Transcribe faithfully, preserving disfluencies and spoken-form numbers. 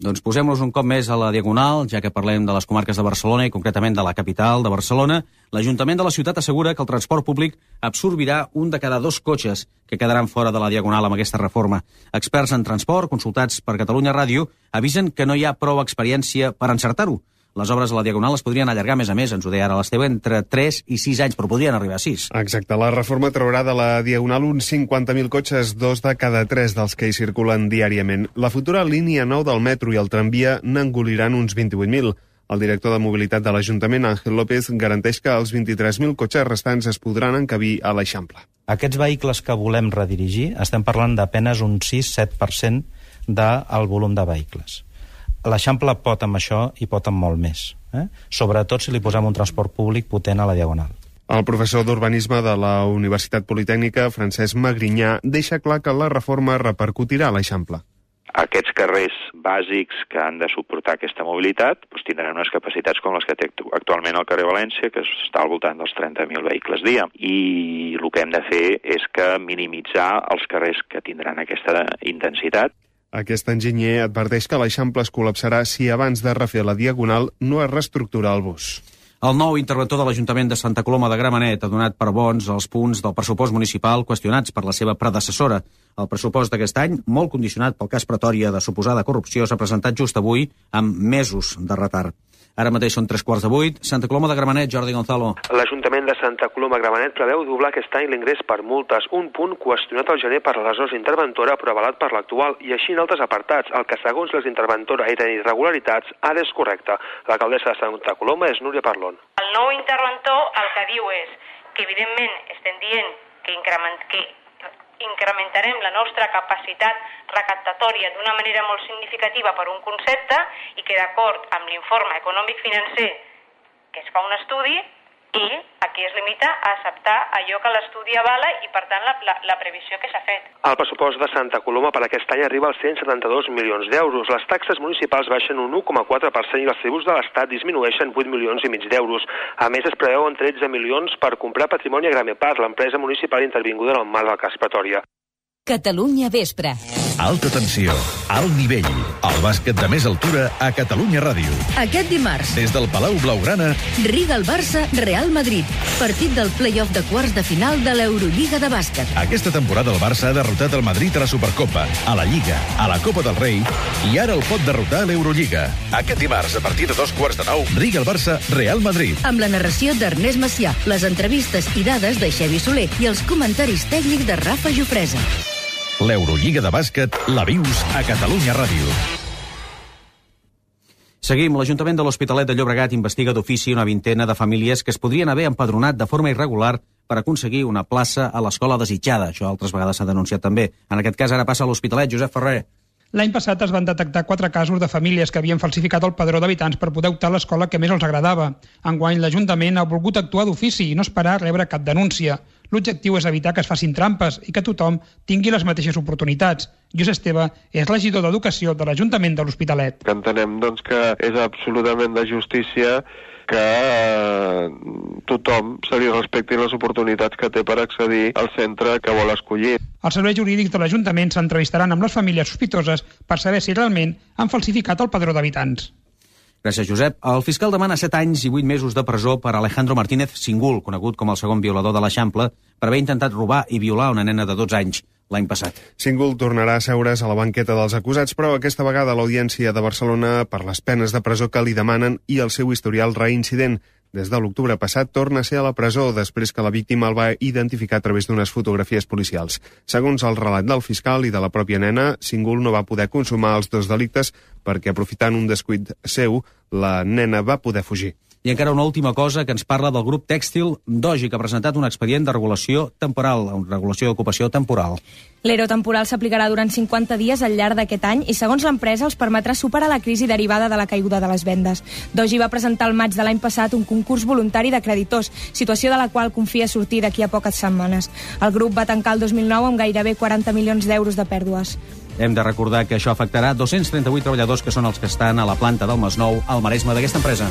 Doncs posem-nos un cop més a la Diagonal, ja que parlem de les comarques de Barcelona i concretament de la capital de Barcelona. L'Ajuntament de la ciutat assegura que el transport públic absorbirà un de cada dos cotxes que quedaran fora de la Diagonal amb aquesta reforma. Experts en transport, consultats per Catalunya Ràdio, avisen que no hi ha prou experiència per encertar-ho. Les obres a la Diagonal es podrien allargar més a més, ens ho deia ara l'Esteve, entre tres i sis anys, però podrien arribar a sis. Exacte, la reforma traurà de la Diagonal uns cinquanta mil cotxes, dos de cada tres dels que hi circulen diàriament. La futura línia nou del metro i el tramvia n'engoliran uns vint-i-vuit mil. El director de mobilitat de l'Ajuntament, Ángel López, garanteix que els vint-i-tres mil cotxes restants es podran encabir a l'Eixample. Aquests vehicles que volem redirigir, estem parlant d'apenes un sis a set per cent del volum de vehicles. L'Eixample pot amb això i pot amb molt més, eh? Sobretot si li posem un transport públic potent a la Diagonal. El professor d'Urbanisme de la Universitat Politècnica, Francesc Magrinyà, deixa clar que la reforma repercutirà a l'Eixample. Aquests carrers bàsics que han de suportar aquesta mobilitat doncs tindran unes capacitats com les que té actualment el carrer València, que està al voltant dels trenta mil vehicles dia. I el que hem de fer és que minimitzar els carrers que tindran aquesta intensitat. Aquest enginyer adverteix que l'Eixample es col·lapsarà si abans de refer la Diagonal no es reestructura el bus. El nou interventor de l'Ajuntament de Santa Coloma de Gramenet ha donat per bons els punts del pressupost municipal qüestionats per la seva predecessora. El pressupost d'aquest any, molt condicionat pel cas Pretòria de suposada corrupció, s'ha presentat just avui amb mesos de retard. Ara mateix són tres quarts de vuit. Santa Coloma de Gramenet, Jordi Gonzalo. L'Ajuntament de Santa Coloma de Gramenet preveu doblar aquest any l'ingrés per multes, un punt qüestionat al gener per l'aleshores interventora però avalat per l'actual, i així en altres apartats. El que segons les interventora eren irregularitats ara és correcte. L'alcaldessa de Santa Coloma és Núria Parlon. El nou interventor el que diu és que evidentment estem dient que, increment, que incrementarem la nostra capacitat recaptatòria d'una manera molt significativa per un concepte i que d'acord amb l'informe econòmic-financer que es fa un estudi i aquí es limita a acceptar allò que l'estudi avala i per tant la, la, la previsió que s'ha fet. El pressupost de Santa Coloma per aquest any arriba als cent setanta-dos milions d'euros. Les taxes municipals baixen un u coma quatre per cent i els tributs de l'Estat disminueixen vuit milions i mig d'euros. A més, es preveuen tretze milions per comprar patrimoni a Gramepar, l'empresa municipal intervinguda en el marc del cas Pretòria. Catalunya Vespre. Alta tensió, alt nivell, el bàsquet de més altura a Catalunya Ràdio. Aquest dimarts, des del Palau Blaugrana, Riga el Barça, Real Madrid. Partit del play-off de quarts de final de l'Eurolliga de bàsquet. Aquesta temporada el Barça ha derrotat el Madrid a la Supercopa, a la Lliga, a la Copa del Rei i ara el pot derrotar a l'Eurolliga. Aquest dimarts, a partir de dos quarts de nou, Riga el Barça, Real Madrid. Amb la narració d'Ernest Macià, les entrevistes i dades de Xevi Soler i els comentaris tècnics de Rafa Jofresa. L'Eurolliga de bàsquet la vius a Catalunya Ràdio. Seguim. L'Ajuntament de l'Hospitalet de Llobregat investiga d'ofici una vintena de famílies que es podrien haver empadronat de forma irregular per aconseguir una plaça a l'escola desitjada. Això altres vegades s'ha denunciat també. En aquest cas ara passa a l'Hospitalet. Josep Ferrer. L'any passat es van detectar quatre casos de famílies que havien falsificat el padró d'habitants per poder optar a l'escola que més els agradava. Enguany, l'Ajuntament ha volgut actuar d'ofici i no esperar a rebre cap denúncia. L'objectiu és evitar que es facin trampes i que tothom tingui les mateixes oportunitats. Lluís Esteve és regidor d'Educació de l'Ajuntament de l'Hospitalet. Que entenem doncs, que és absolutament de justícia que eh, tothom se li respectin les oportunitats que té per accedir al centre que vol escollir. Els serveis jurídics de l'Ajuntament s'entrevistaran amb les famílies sospitoses per saber si realment han falsificat el padró d'habitants. Gràcies, Josep. El fiscal demana set anys i vuit mesos de presó per Alejandro Martínez Singul, conegut com el segon violador de l'Eixample, per haver intentat robar i violar una nena de dotze anys l'any passat. Singul tornarà a seure's a la banqueta dels acusats, però aquesta vegada a l'Audiència de Barcelona per les penes de presó que li demanen i el seu historial reincident. Des de l'octubre passat torna a ser a la presó després que la víctima el va identificar a través d'unes fotografies policials. Segons el relat del fiscal i de la pròpia nena, Singul no va poder consumar els dos delictes perquè, aprofitant un descuit seu, la nena va poder fugir. I encara una última cosa que ens parla del grup tèxtil Doji, que ha presentat un expedient de regulació temporal, una regulació d'ocupació temporal. L'E R O temporal s'aplicarà durant cinquanta dies al llarg d'aquest any i, segons l'empresa, els permetrà superar la crisi derivada de la caiguda de les vendes. Doji va presentar al maig de l'any passat un concurs voluntari de creditors, situació de la qual confia sortir d'aquí a poques setmanes. El grup va tancar el dos mil nou amb gairebé quaranta milions d'euros de pèrdues. Hem de recordar que això afectarà dos-cents trenta-vuit treballadors que són els que estan a la planta del Masnou, al Maresme d'aquesta empresa.